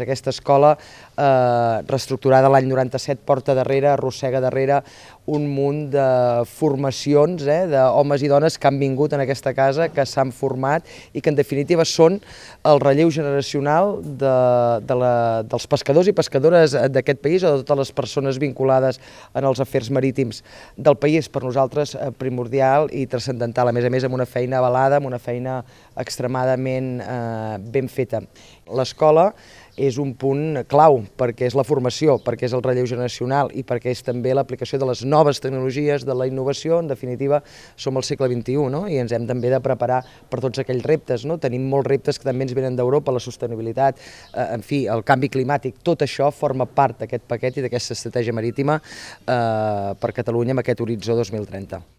Aquesta escola, reestructurada l'any 97, porta darrere, arrossega darrere un munt de formacions d'homes i dones que han vingut en aquesta casa, que s'han format i que en definitiva són el relleu generacional dels pescadors i pescadores d'aquest país o de totes les persones vinculades en els afers marítims del país. Per nosaltres primordial i transcendental, a més amb una feina avalada, amb una feina extremadament ben feta. L'escola és un punt clau perquè és la formació, perquè és el relleu generacional i perquè és també l'aplicació de les noves tecnologies, de la innovació. En definitiva, som al segle XXI, no? I ens hem també de preparar per tots aquells reptes, no? Tenim molts reptes que també ens venen d'Europa, la sostenibilitat, en fi, el canvi climàtic. Tot això forma part d'aquest paquet i d'aquesta estratègia marítima per Catalunya amb aquest horitzó 2030.